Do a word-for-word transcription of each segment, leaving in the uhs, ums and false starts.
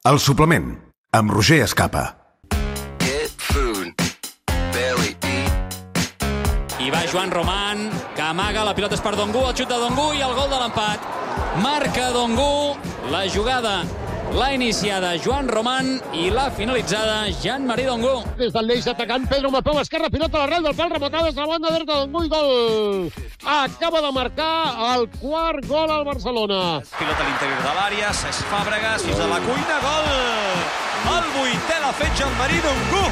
El suplement, amb Roger Escapa. I va Joan Román, que amaga, la pilota és per Dongu, el xut de Dongu i el gol de l'empat. Marca Dongu, la jugada l'ha iniciada Joan Román i l'ha finalitzada Jean-Marie Dongu. Des del l'eix atacant, Pedro Mapeu, esquerra, pilota a l'arrel del pal, rematada des de la banda dreta de Dongu i gol. Acaba de marcar el quart gol al Barcelona. Pilota a l'interior de l'àrea, Cesc Fàbregas, fins a la cuina, gol! El vuitè l'ha fet Jean-Marie Dongu.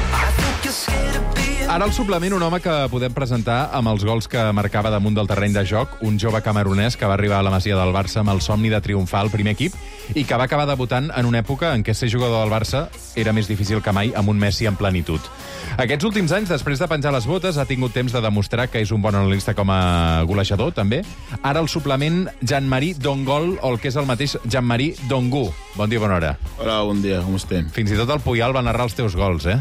Ara al suplement un home que podem presentar amb els gols que marcava damunt del terreny de joc, un jove camerunès que va arribar a la Masia del Barça amb el somni de triomfar al primer equip i que va acabar debutant en una època en què ser jugador del Barça era més difícil que mai amb un Messi en plenitud. Aquests últims anys, després de penjar les botes, ha tingut temps de demostrar que és un bon analista com a golejador, també. Ara al suplement, Jean-Marie Dongol, o el que és el mateix Jean-Marie Dongu. Bon dia, bona hora. Hola, bon dia, com estem? Fins i tot el Puyal va narrar els teus gols, eh?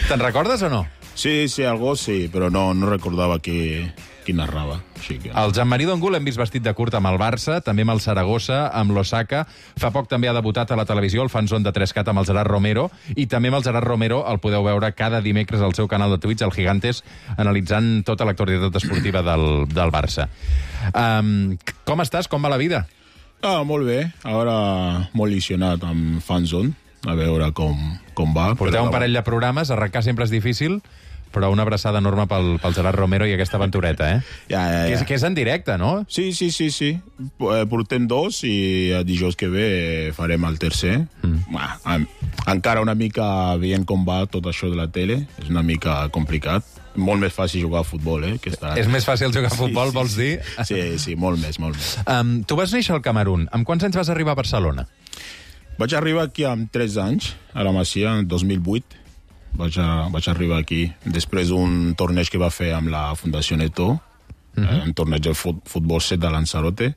Te'n recordes o no? Sí, sí, algo sí, però no, no recordava qui, qui narrava. Així que... El Jean-Marie Dongu l'hem vist vestit de curt amb el Barça, també amb el Saragossa, amb l'Osaka. Fa poc també ha debutat a la televisió, el Fanzone de tres cat amb el Gerard Romero, i també amb el Gerard Romero el podeu veure cada dimecres al seu canal de Twitch, el Gigantes, analitzant tota l'actualitat esportiva del, del Barça. Um, com estàs? Com va la vida? Ah, molt bé. Ara molt il·lusionat amb Fanzone, a veure com, com va. Porteu un parell de programes, arrencar sempre és difícil, però una abraçada enorme pel, pel Gerard Romero i aquesta aventureta, eh? Ja, ja, ja. Que és, que és en directe, no? Sí, sí, sí, sí. Portem dos i el dijous que ve farem el tercer. Mm. Ah, encara una mica veient com va tot això de la tele, és una mica complicat. Molt més fàcil jugar a futbol, eh? Que està... És més fàcil jugar a futbol, sí, sí, vols dir? Sí, sí, molt més, molt més. Um, tu vas néixer al Camerun. Amb quants anys vas arribar a Barcelona? Vaig arribar aquí amb tres anys, a la Masia, en dos mil vuit. Vaig, a, vaig arribar aquí després d'un torneig que va fer amb la Fundació Neto, uh-huh. eh, un torneig del fut, futbol set de Lanzarote.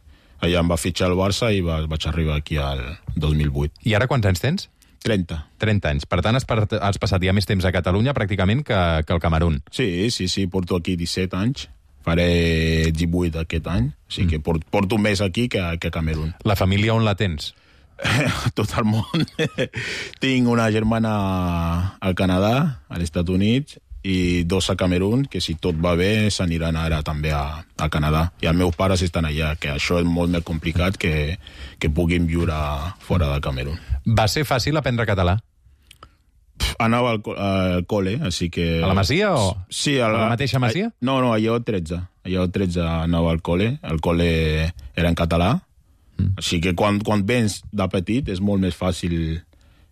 Allà em va fitxar el Barça i va, vaig arribar aquí al dos mil vuit. I ara quants anys tens? trenta. trenta anys. Per tant, has, has passat ja més temps a Catalunya pràcticament que, que al Camerun. Sí, sí, sí. Porto aquí disset anys. Faré divuit aquest any. O sigui mm. que porto, porto més aquí que, que a Camerun. La família on la tens? Tot el món. Tinc una germana al Canadà, als Estats Units, i dos a Camerun, que si tot va bé s'aniran ara també a, a Canadà. I els meus pares estan allà, que això és molt més complicat que, que puguin viure fora de Camerun. Va ser fàcil aprendre català? Pff, anava al, al col·le, així que... A la Masia o...? Sí, a la, a la mateixa Masia? A, no, no, allà tretze. Allà tretze anava al col·le. El col·le era en català. Mm. Així que quan, quan vens de petit és molt més fàcil.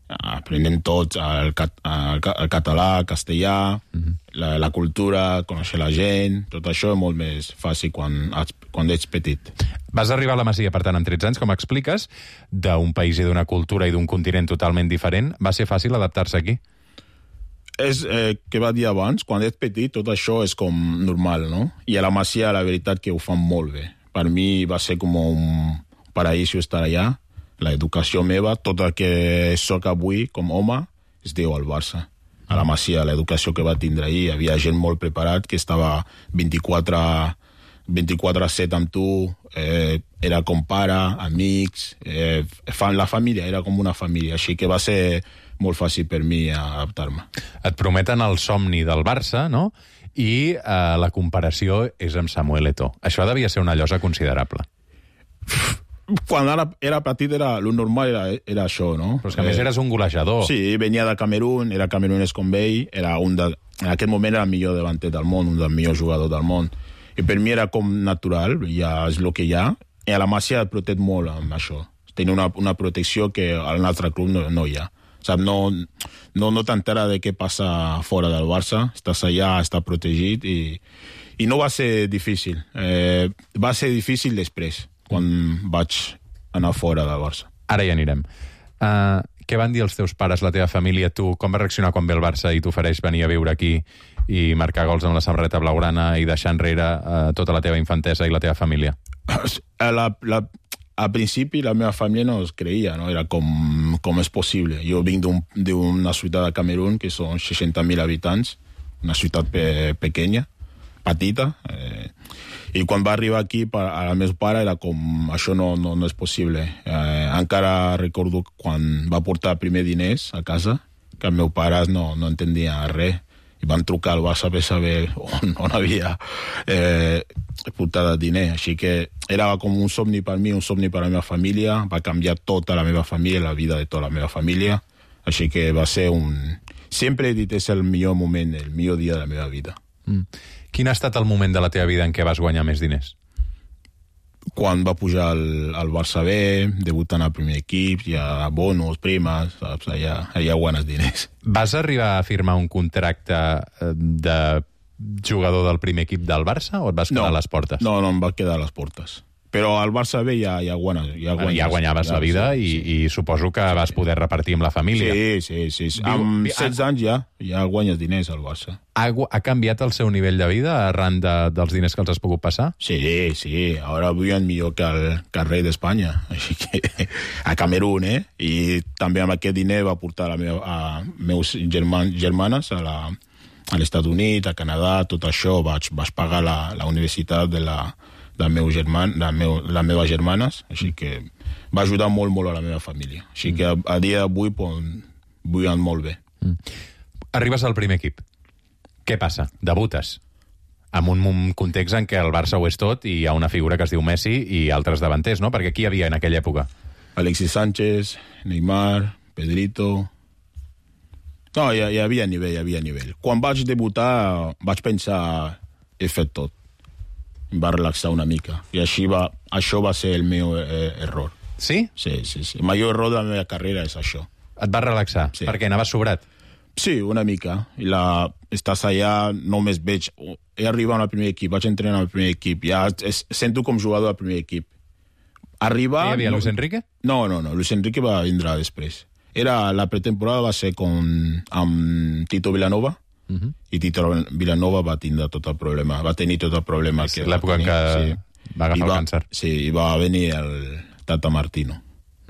Aprenem tots el, cat, el, el català, el castellà, mm-hmm. la, la cultura, conèixer la gent. Tot això és molt més fàcil quan, quan ets petit. Vas arribar a la Masia, per tant, amb tretze anys, com expliques, d'un país i d'una cultura i d'un continent totalment diferent. Va ser fàcil adaptar-se aquí? És eh, que va dir abans, quan ets petit tot això és com normal, no? I a la Masia la veritat que ho fan molt bé. Per mi va ser com un paraíso estar allà. L'educació meva, tot el que soc avui com home, es deu al Barça. A la Masia, l'educació que va tindre ahir, hi havia gent molt preparat que estava vint-i-quatre a set amb tu, eh, era com pare, amics, eh, la família, era com una família, així que va ser molt fàcil per mi adaptar-me. Et prometen el somni del Barça, no? I eh, la comparació és amb Samuel Eto'o. Això devia ser una llosa considerable. Quan era, era petit, era, lo normal era, era això, no? Però és que a més eres un golejador. Sí, venia de Camerun, era camerunès com ell, era un de, en aquest moment era el millor davanter del món, un dels millors jugadors del món. I per mi era com natural, ja és el que hi ha, i a la Masia et protege molt amb això. Tenia una, una protecció que al nostre club no, no hi ha. Sap, no no, no t'entera de què passa fora del Barça, estàs allà, estàs protegit, i, i no va ser difícil. Eh, va ser difícil després, quan vaig anar fora del Barça. Ara hi anirem. Uh, què van dir els teus pares, la teva família, tu? Com va reaccionar quan ve el Barça i t'ofereix venir a viure aquí i marcar gols amb la samarreta blaugrana i deixar enrere uh, tota la teva infantesa i la teva família? La, la, al principi la meva família no es creia, no? Era com, com és possible. Jo vinc d'una ciutat de Camerun que són seixanta mil habitants, una ciutat pe, pequeña, petita. Eh, I quan va arribar aquí, al meu pare era com, això no, no, no és possible. Eh, encara recordo quan va portar primer diners a casa, que els meus pares no, no entendien res. I van trucar al Barça per saber on, on havia eh, portat diner. Així que era com un somni per mi, un somni per la meva família. Va canviar tota la meva família, la vida de tota la meva família. Així que va ser un... Sempre he dit, és el millor moment, el millor dia de la meva vida. Mm. Quin ha estat el moment de la teva vida en què vas guanyar més diners? Quan va pujar al, al Barça B, debutant al primer equip, hi ha bonus, primes, saps? Allà, allà guanyes diners. Vas arribar a firmar un contracte de jugador del primer equip del Barça o et vas quedar no, a les portes? No, no, em va quedar a les portes. Però al Barça B ja, ja, guanyes, ja, bueno, guanyes, ja guanyaves ja, la vida sí, i, sí. i suposo que vas poder repartir amb la família. Sí, sí, sí. sí. Amb setze anys ja, ja guanyes diners al Barça. Ha, ha canviat el seu nivell de vida arran de, dels diners que els has pogut passar? Sí, sí. Ara viuen millor que el, que el rei d'Espanya. Així que a Camerún, eh? I també amb aquest diner va portar a, meva, a meus germans, germanes a la, a l'Estats Units, a Canadà, tot això. Vaig, vaig pagar la, la universitat de la... de meu german, de meu, les meves germanes, així que va ajudar molt, molt a la meva família. Així que a, a dia d'avui viuen molt bé. Mm. Arribes al primer equip. Què passa? Debutes. En un context en què el Barça ho és tot i hi ha una figura que es diu Messi i altres davanters, no? Perquè qui hi havia en aquella època? Alexis Sánchez, Neymar, Pedrito... No, hi, hi havia nivell, hi havia nivell. Quan vaig debutar vaig pensar he fet tot. Em va relaxar una mica. I així va, això va ser el meu eh, error. Sí? Sí, sí, sí. El major error de la meva carrera és això. Et va relaxar? Sí. Perquè anaves sobrat? Sí, una mica. I la, estàs allà, només veig... He arribat al primer equip, vaig entrenar al primer equip. Ja es, sento com jugador al primer equip. Arribar... Hi havia no, Luis Enrique? No, no, no. Luis Enrique va vindre després. Era, la pretemporada va ser con, amb Tito Vilanova. Uh-huh. I Tito Vilanova va tindre tot el problema, va tenir tot el problema. Sí, l'època en què sí. va agafar va, el càncer. Sí, i va venir el Tata Martino.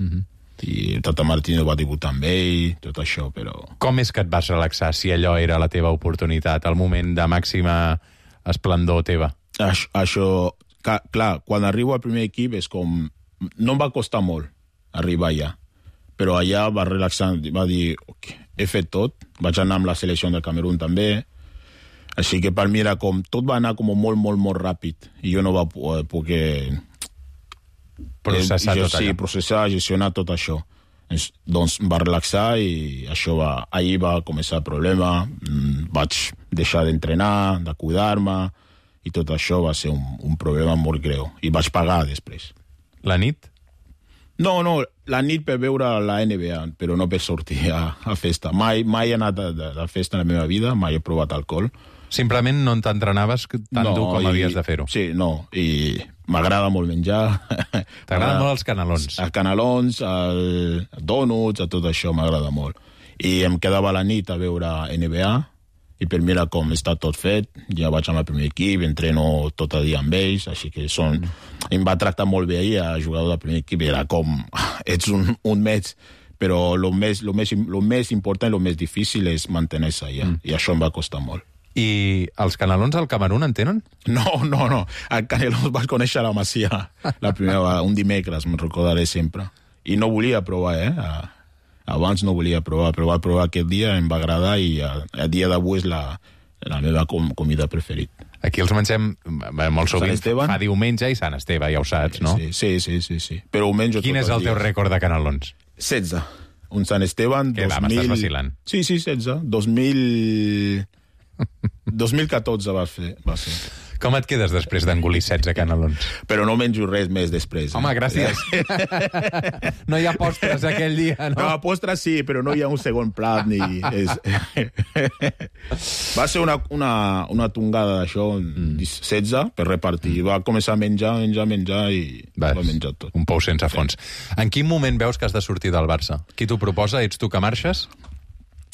Uh-huh. I el Tata Martino va debutar amb ell, tot això, però... Com és que et vas relaxar si allò era la teva oportunitat, el moment de màxima esplendor teva? Això, això clar, quan arribo al primer equip és com... No em va costar molt arribar allà, però allà va relaxar, va dir... Okay, he fet tot, vaig anar amb la selecció del Camerún també, així que per mi era com, tot va anar com molt, molt, molt ràpid, i jo no va poder processar eh, jo, tot sí, allò. processar, gestionar tot això. Es, doncs va relaxar i això va, ahir va començar el problema, vaig deixar d'entrenar, de cuidar-me, i tot això va ser un, un problema molt greu, i vaig pagar després. La nit? No, no, la nit per veure la N B A, però no per sortir a, a festa. Mai, mai he anat a, a, a festa en la meva vida, mai he provat alcohol. Simplement no t'entrenaves tan no, dur com i, havies de fer-ho. Sí, no, i m'agrada molt menjar. T'agraden molt els canelons? Els canelons, els dònuts, a tot això m'agrada molt. I em quedava a la nit a veure N B A, i per mi era com està tot fet, ja vaig amb el primer equip, entreno tot el dia amb ells, així que són... Em va tractar molt bé ahir, a jugador del primer equip, era com... Ets un, un mes, però el més, lo més, lo més important i el més difícil és mantenir-se allà, mm. i això em va costar molt. I els canelons al Camerún en tenen? No, no, no. El canelons vaig conèixer a la Masia la primera, un dimecres, me'n recordaré sempre. I no volia provar, eh? Abans no volia provar, però va provar aquest dia, em va agradar i a, a dia d'avui és la, la meva com, comida preferit. Aquí els mengem molt sovint, fa diumenge i Sant Esteve, ja ho saps, no? Sí, sí, sí, sí, sí. Però ho menjo Quin és el teu rècord de canelons? setze. Un Sant Esteban... Què va, m'estàs vacilant? Sí, sí, setze. dos mil... dos mil catorze va, fer, va ser. Com et quedes després d'engolir setze canelons? Però no menjo res més després. Eh? Home, gràcies. No hi ha postres aquell dia, no? No, postres sí, però no hi ha un segon plat ni... És... Va ser una, una, una tongada d'això, mm. setze, per repartir. Va començar a menjar, menjar, menjar i Vas, va menjar tot. Un pou sense fons. Sí. En quin moment veus que has de sortir del Barça? Qui t'ho proposa? Ets tu que marxes?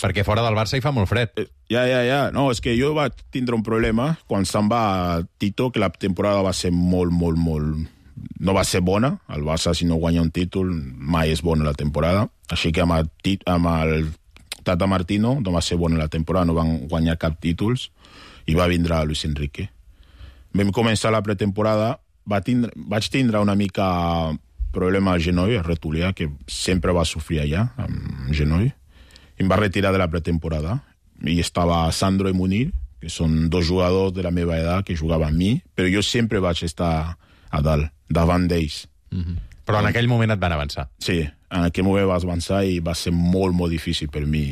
Perquè fora del Barça hi fa molt fred. Ja, ja, ja. No, és que jo vaig tindre un problema quan se'n va Tito, que la temporada va ser molt, molt, molt... No va ser bona. El Barça, si no guanya un títol, mai és bona la temporada. Així que amb el, tit... amb el Tata Martino no va ser bona la temporada, no van guanyar cap títols, i va vindre Luis Enrique. Vam començar la pretemporada, va tindre, vaig tindre una mica problema al genoll, al retolià, que sempre va sofrir allà, amb genoll. I em va retirar de la pretemporada. I estava Sandro i Munir, que són dos jugadors de la meva edat que jugaven amb mi, però jo sempre vaig estar a dalt, davant d'ells. Mm-hmm. Però en aquell moment et van avançar. Sí, en aquell moment vas avançar i va ser molt, molt difícil per mi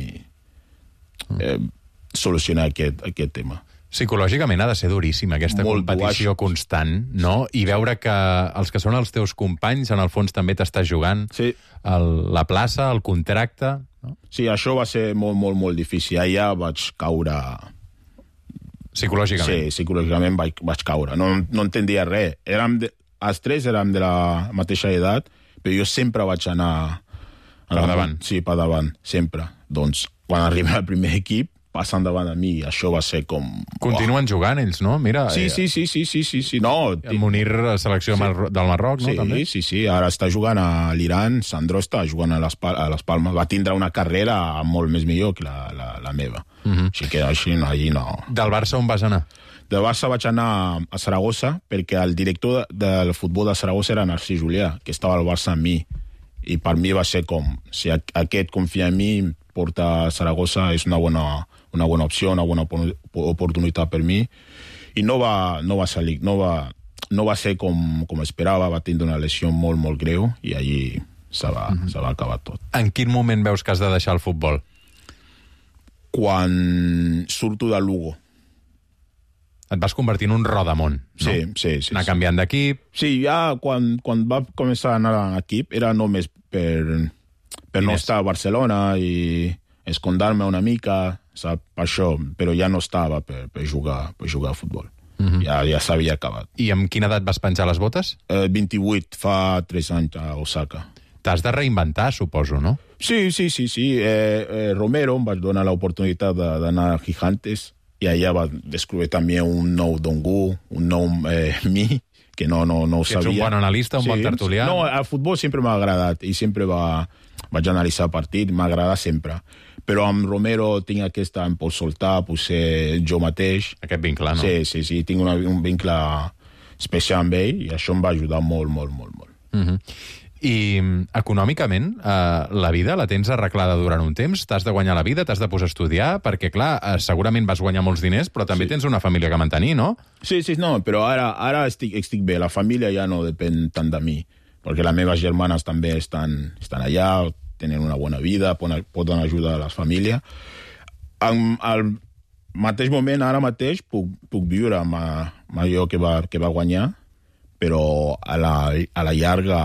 eh, solucionar aquest, aquest tema. Psicològicament ha de ser duríssima, aquesta Molt competició duaix. constant, no? I veure que els que són els teus companys, en el fons també t'estàs jugant Sí. el, la plaça, el contracte... No? Sí, això va ser molt, molt, molt difícil. Allà vaig caure... Psicològicament. Sí, psicològicament vaig, vaig caure. No, no entendia res. Érem de, els tres érem de la mateixa edat, però jo sempre vaig anar... Per davant. Sí, per davant, sempre. Doncs, quan arriba al primer equip, passen davant a mi, això va ser com... Continuen jugant ells, no? Mira, Sí, sí, sí, sí, sí, sí, sí. No, El Munir, selecció Sí. Mar- del Marroc, no? sí, També? sí, sí. Ara està jugant a l'Iran, Sandro està jugant a les, Pal a les Palmes. Va tindre una carrera molt més millor que la, la, la meva. Mhm. Així que així, no, allí no... Del Barça on vas anar? De Barça vaig anar a Saragossa perquè el director de, del futbol de Saragossa era Narcís Julià, que estava al Barça amb mi. I per mi va ser com, si aquest confia en mi, porta a Saragossa, és una bona, una bona opció, una bona oportunitat per mi. I no va, no va salir, no va, no va ser com, com esperava, va tindre una lesió molt, molt greu i allí se va, mm-hmm. se va acabar tot. En quin moment veus que has de deixar el futbol? Quan surto de Lugo. Et vas convertir en un rodamont, no? Sí, sí, sí. Anar sí. canviant d'equip... Sí, ja quan, quan va començar a anar a l'equip era només per, per no Diners. estar a Barcelona i escondar-me una mica, sap, per això, però ja no estava per, per, jugar, per jugar a futbol. Mm-hmm. Ja, ja s'havia acabat. I amb quina edat vas penjar les botes? Eh, vint-i-vuit, fa tres anys a Osaka. T'has de reinventar, suposo, no? Sí, sí, sí, sí. Eh, eh, Romero em va donar l'oportunitat d'anar a Gigantes i allà va descobrir també un nou Dongu, un nou eh, mi, que no, no, no ho Que ets sabia. un bon analista, un bon tertulià. No, el futbol sempre m'ha agradat i sempre va, vaig analitzar el partit, m'ha agradat sempre. Però amb Romero tinc aquesta, em pot soltar, potser jo mateix. Aquest vincle, no? Sí, sí, sí, tinc una, un vincle especial amb ell i això em va ajudar molt, molt, molt, molt. Mm-hmm. I econòmicament, eh, la vida la tens arreglada durant un temps? T'has de guanyar la vida, t'has de posar a estudiar? Perquè, clar, eh, segurament vas guanyar molts diners, però també Sí. tens una família que mantenir, no? Sí, sí, no, però ara, ara estic, estic bé. La família ja no depèn tant de mi, perquè les meves germanes també estan, estan allà, tenen una bona vida, poden, poden ajudar a la família. En, al mateix moment, ara mateix, puc, puc viure amb, amb allò que va, que va guanyar, però a la, a la llarga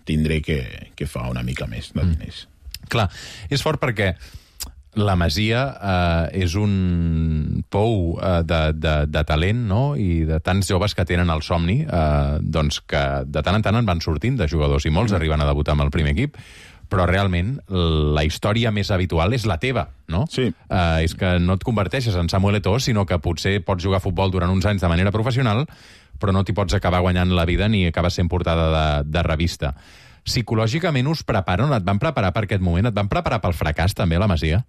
tindré que, que fa una mica més de diners. Mm. Clar, és fort perquè la Masia eh, és un pou eh, de, de, de talent, no?, i de tants joves que tenen el somni, eh, doncs que de tant en tant en van sortint de jugadors, i molts mm. arriben a debutar amb el primer equip, però realment la història més habitual és la teva, no? Sí. Eh, és que no et converteixes en Samuel Eto'o, sinó que potser pots jugar a futbol durant uns anys de manera professional, però no t'hi pots acabar guanyant la vida ni acabes sent portada de, de revista. Psicològicament us preparen, et van preparar per aquest moment? Et van preparar pel fracàs, també, la Masia?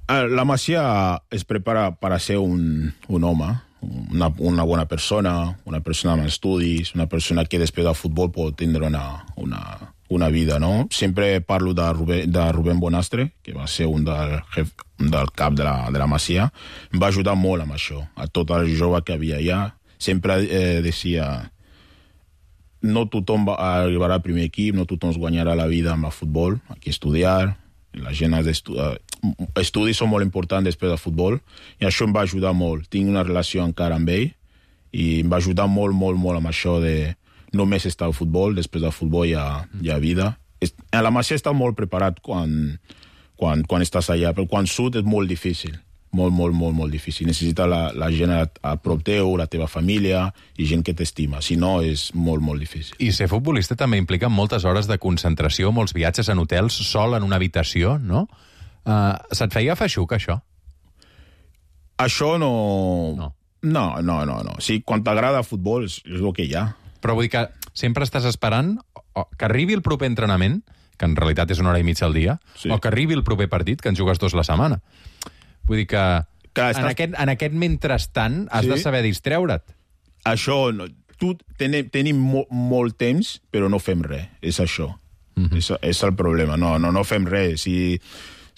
La Masia es prepara per a ser un, un home, una, una bona persona, una persona amb estudis, una persona que després del futbol pot tindre una, una, una vida, no? Sempre parlo de Rubén, de Rubén Bonastre, que va ser un del, jef, un del cap de la, de la Masia. Em va ajudar molt amb això, a tot el jove que havia allà. Sempre eh, decia, no tothom va, arribarà al primer equip, no tothom es guanyarà la vida amb el futbol, hay que estudiar, la gent ha d'estudiar. Estudis són molt importants després del futbol i això em va ajudar molt. Tinc una relació encara amb ell i em va ajudar molt, molt, molt amb això de només estar al futbol, després del futbol hi ha, hi ha vida. A la Masia està molt preparat quan, quan, quan estàs allà, però quan surt és molt difícil. Molt, molt, molt, molt difícil. Necessita la, la gent a, a prop teu, la teva família i gent que t'estima. Si no, és molt, molt difícil. I ser futbolista també implica moltes hores de concentració, molts viatges en hotels, sol en una habitació, no? Uh, se't feia feixuc, això? Això no... No. No, no, no. no. Sí, quan t'agrada el futbol és, és el que hi ha. Però vull dir que sempre estàs esperant que arribi el proper entrenament, que en realitat és una hora i mitja al dia, Sí. o que arribi el proper partit, que en jugues dos la setmana. Vull dir que Clar, en, estàs- aquest, en aquest mentrestant has Sí. de saber distreure't. això, no, tu, tenim, tenim mo, molt temps, però no fem res, és això. Mm-hmm. és, és el problema, no, no, no fem res. Si,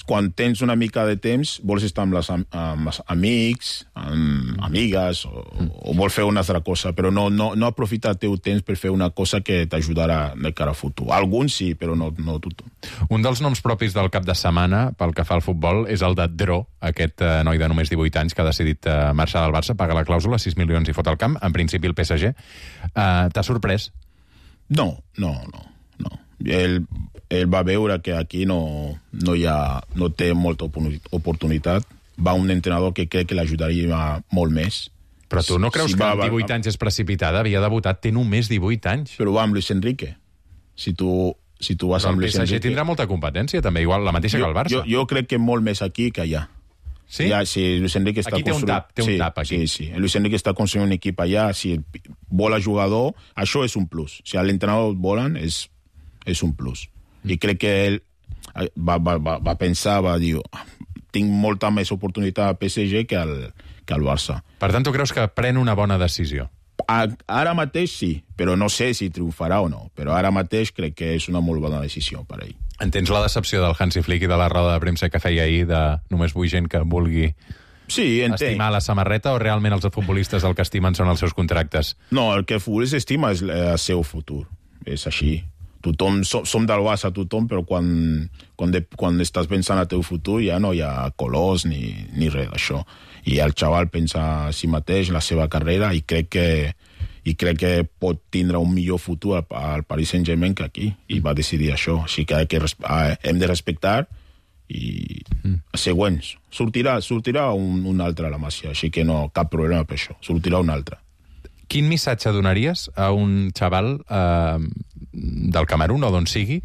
quan tens una mica de temps, vols estar amb, les, amb els amics, amb amigues, o, o vols fer una altra cosa, però no, no, no aprofitar el teu temps per fer una cosa que t'ajudarà de cara al futur. Alguns sí, però no, no tothom. Un dels noms propis del cap de setmana, pel que fa al futbol, és el de Dro, aquest eh, noi de només divuit anys que ha decidit eh, marxar del Barça, paga la clàusula, sis milions i fot al camp, en principi el P S G. Eh, T'ha sorprès? No, no, no. no. Ell, ell va veure que aquí no, no, hi ha, no té molta oportunitat. Va un entrenador que crec que l'ajudaria molt més. Però tu no creus si que va, amb divuit anys és precipitada? Havia debutat, té només divuit anys. Però va amb Luis Enrique. Si tu, si tu vas Però amb el Luis P S G Enrique... tindrà molta competència, també, igual la mateixa jo, que el Barça. Jo, jo crec que molt més aquí que allà. Sí? Ja, si Luis Enrique està aquí té un tap, té un sí, tap aquí. Sí, sí. Luis Enrique està construint un equip allà, si vol a jugador, això és un plus. Si l'entrenador volen, és, és un plus. I crec que ell va, va, va, va pensar, va dir, tinc molta més oportunitat al P S G que al, que al Barça. Per tant, tu creus que pren una bona decisió? A, ara mateix sí, però no sé si triomfarà o no. Però ara mateix crec que és una molt bona decisió per ell. Entens la decepció del Hansi Flick i de la roda de premsa que feia ahir de només vull gent que vulgui sí, estimar la samarreta, o realment els futbolistes el que estimen són els seus contractes? No, el que el futbolista estima és el seu futur. És així. Tothom, som, som del Barça, tothom, però quan, quan, de, quan estàs pensant al teu futur ja no hi ha colors ni, ni res d'això. I el xaval pensa a si mateix, la seva carrera, i crec que, i crec que pot tindre un millor futur al, al Paris Saint-Germain que aquí, i va decidir això. Així que, que hem de respectar i mm. següents. Sortirà, sortirà un, un altre a la Masia, així que no, cap problema per això. Sortirà un altre. Quin missatge donaries a un xaval eh, del Camerun o d'on sigui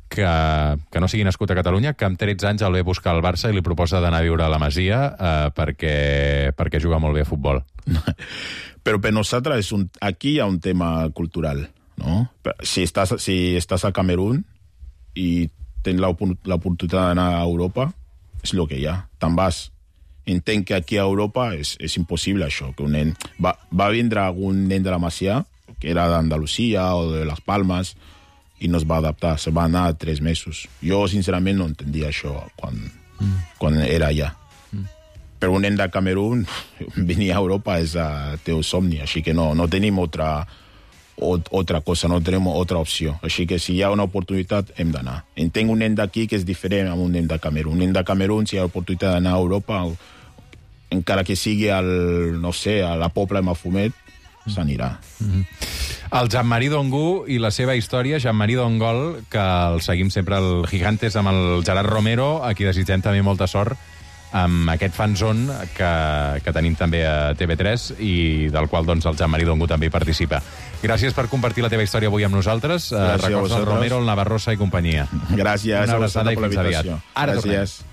que, que no sigui nascut a Catalunya, que amb tretze anys el ve a buscar al Barça i li proposa d'anar a viure a la Masia eh, perquè, perquè juga molt bé a futbol? Però per nosaltres és un, aquí hi ha un tema cultural, no? Si estàs, si estàs a Camerun i tens l'oportunitat d'anar a Europa, és el que hi ha. Te'n vas. Entenc que aquí a Europa és, és impossible això, que un nen... Va, va vindre algun nen de la Masia, que era d'Andalusia o de Las Palmas, i no es va adaptar, se va anar tres mesos. Jo, sincerament, no entendia això quan, mm. quan era allà. Mm. Però un nen de Camerun, venir a Europa és el teu somni, així que no, no tenim altra, altra cosa, no tenim altra opció. Així que si hi ha una oportunitat, hem d'anar. Entenc un nen d'aquí que és diferent a un nen de Camerun. Un nen de Camerun, si hi ha oportunitat d'anar a Europa, encara que sigui al, no sé, a la Pobla de Mafumet, s'anirà. Mm-hmm. El Jean-Marie Dongu i la seva història, Jean-Marie Dongol, que el seguim sempre al Gigantes amb el Gerard Romero, a qui desitgem també molta sort amb aquest fanzone que, que tenim també a T V tres i del qual doncs, el Jean-Marie Dongu també hi participa. Gràcies per compartir la teva història avui amb nosaltres. Gràcies Records del Romero, el Navarrosa i companyia. Gràcies. Una abraçada i fins aviat. Ara Gràcies. Tornem.